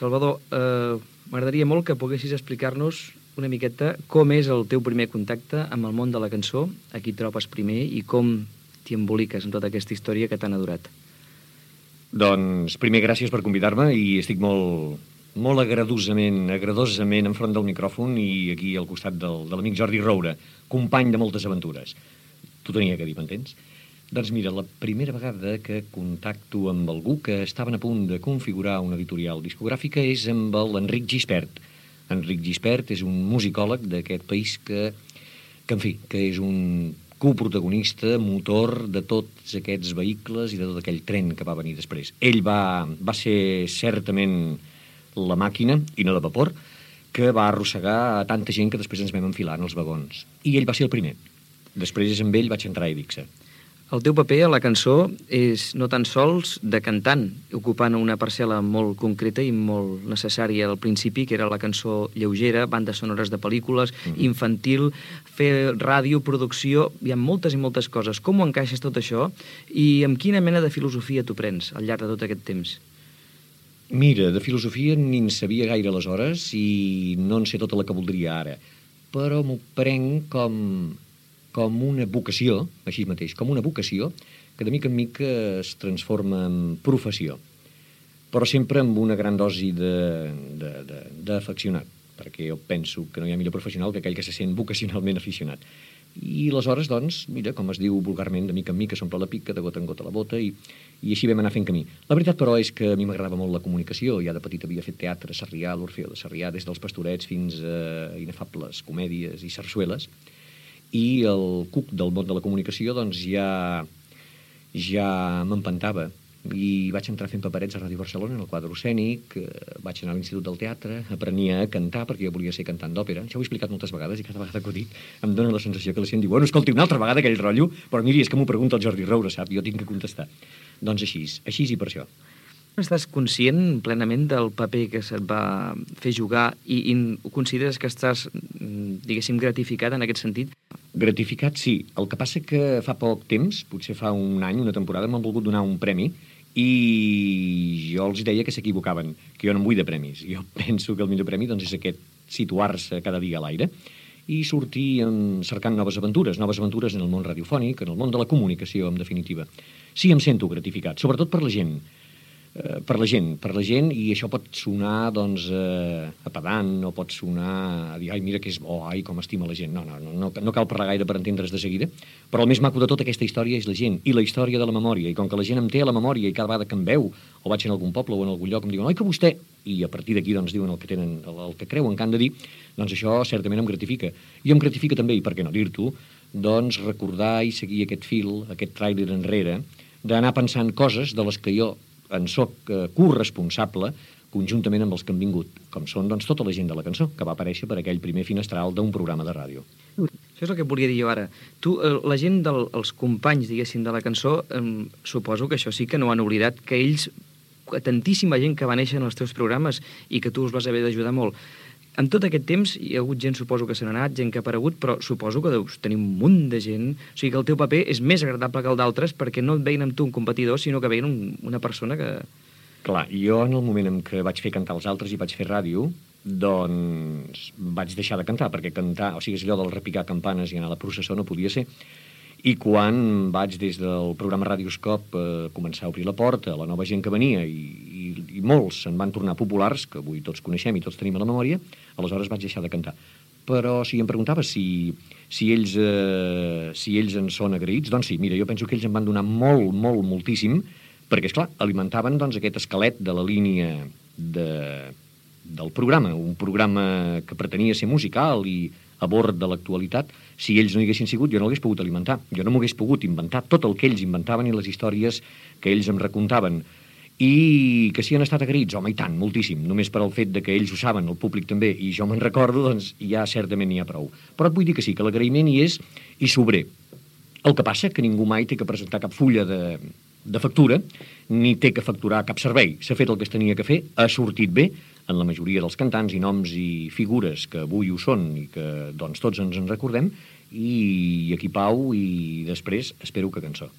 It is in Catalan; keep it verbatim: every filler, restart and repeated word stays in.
Salvador, eh, m'agradaria molt que poguessis explicar-nos una miqueta com és el teu primer contacte amb el món de la cançó, a qui trobes primer i com t'hi emboliques en tota aquesta història que t'han adorat. Doncs, primer, gràcies per convidar-me i estic molt, molt agradosament, agradosament enfront del micròfon i aquí al costat del, de l'amic Jordi Roura, company de moltes aventures. T'ho tenia que dir, m'entens? Doncs mira, la primera vegada que contacto amb algú que estaven a punt de configurar una editorial discogràfica és amb l'Enric Gispert. Enric Gispert és un musicòleg d'aquest país que, que, en fi, que és un coprotagonista, motor de tots aquests vehicles i de tot aquell tren que va venir després. Ell va, va ser certament la màquina, i no de vapor, que va arrossegar a tanta gent que després ens vam enfilar en els vagons. I ell va ser el primer. Després amb ell vaig entrar a Evixa. El teu paper a la cançó és no tan sols de cantant, ocupant una parcel·la molt concreta i molt necessària al principi, que era la cançó lleugera, bandes sonores de pel·lícules, mm. infantil, fer ràdio, producció, hi ha moltes i moltes coses. Com ho encaixes tot això i amb quina mena de filosofia t'ho prens al llarg de tot aquest temps? Mira, de filosofia ni en sabia gaire aleshores i no en sé tota la que voldria ara, però m'ho prenc com... com una vocació, així mateix, com una vocació que de mica en mica es transforma en professió, però sempre amb una gran dosi d'afeccionat, perquè jo penso que no hi ha millor professional que aquell que se sent vocacionalment aficionat. I aleshores, doncs, mira, com es diu vulgarment, de mica en mica s'omple la pica, de gota en gota la bota, i, i així vam anar fent camí. La veritat, però, és que a mi m'agradava molt la comunicació. Ja de petit havia fet teatre a Sarrià, l'Orfeó de Sarrià, des dels Pastorets fins a inefables comèdies i sarsueles, i el cuc del món de la comunicació doncs ja, ja m'empantava i vaig entrar fent paperets a Ràdio Barcelona en el quadre escènic, vaig anar a l'Institut del Teatre, aprenia a cantar perquè jo volia ser cantant d'òpera. Això ho he explicat moltes vegades i cada vegada que ho dic em dóna la sensació que la gent diu bueno, escolti, una altra vegada aquell rotllo, però miri, és que m'ho pregunta el Jordi Roura, sap? Jo tinc que contestar. Doncs així, així i per això. Estàs conscient plenament del paper que se't va fer jugar i, i consideres que estàs, diguéssim, gratificat en aquest sentit? Gratificat, sí. El que passa que fa poc temps, potser fa un any, una temporada, m'han volgut donar un premi i jo els deia que s'equivocaven, que jo no em vull de premis. Jo penso que el millor premi doncs, és aquest situar-se cada dia a l'aire i sortir en, cercant noves aventures, noves aventures en el món radiofònic, en el món de la comunicació, en definitiva. Sí, em sento gratificat, sobretot per la gent. Uh, per la gent, per la gent, i això pot sonar, doncs, uh, a pedant, o pot sonar a dir, ai, mira que és bo, ai, com estima la gent. No, no, no, no, no cal parlar gaire per entendre's de seguida, però el més maco de tota aquesta història és la gent, i la història de la memòria, i com que la gent em té a la memòria, i cada vegada que em veu, o vaig en algun poble o en algun lloc, em diuen, oi, que vostè, i a partir d'aquí, doncs, diuen el que tenen, el, el que creuen que han de dir, doncs això certament em gratifica. I em gratifica també, i per què no dir-t'ho, doncs, recordar i seguir aquest fil, aquest tràiler enrere, d'anar pensant coses de les que jo en soc eh, corresponsable conjuntament amb els que han vingut, com són doncs, tota la gent de la cançó, que va aparèixer per aquell primer finestral d'un programa de ràdio. Això és el que volia dir jo ara. Tu, eh, la gent dels del, companys, diguéssim, de la cançó, eh, suposo que això sí que no han oblidat, que ells, tantíssima gent que va néixer en els teus programes i que tu us vas haver d'ajudar molt. En tot aquest temps hi ha hagut gent, suposo que se n'ha anat, gent que ha aparegut, però suposo que deus tenir un munt de gent. O sigui que el teu paper és més agradable que el d'altres perquè no et veien amb tu un competidor, sinó que veien un, una persona que... Clar, jo en el moment en què vaig fer cantar els altres i vaig fer ràdio, doncs vaig deixar de cantar, perquè cantar, o sigui, és allò del repicar campanes i anar a la processó no podia ser. I quan vaig des del programa Radioscop eh, començar a obrir la porta a la nova gent que venia i, i, i molts se'n van tornar populars, que avui tots coneixem i tots tenim a la memòria, aleshores vaig deixar de cantar. Però si em preguntaves si, si, ells, eh, si ells en són agraïts, doncs sí, mira, jo penso que ells em van donar molt, molt, moltíssim, perquè, esclar, alimentaven doncs, aquest esquelet de la línia de, del programa, un programa que pretenia ser musical i a bord de l'actualitat. Si ells no hi haguessin sigut, jo no l'hagués pogut alimentar. Jo no m'hagués pogut inventar tot el que ells inventaven i les històries que ells em recontaven. I que si han estat agraïts, home, i tant, moltíssim. Només per al fet de que ells ho saben, el públic també, i jo me'n recordo, doncs ja certament n'hi ha prou. Però et vull dir que sí, que l'agraïment hi és i sobrer. El que passa que ningú mai té que presentar cap fulla de, de factura, ni té que facturar cap servei. S'ha fet el que es tenia que fer, ha sortit bé, en la majoria dels cantants i noms i figures que avui ho són i que doncs, tots ens en recordem, i aquí pau i després espero que cançó.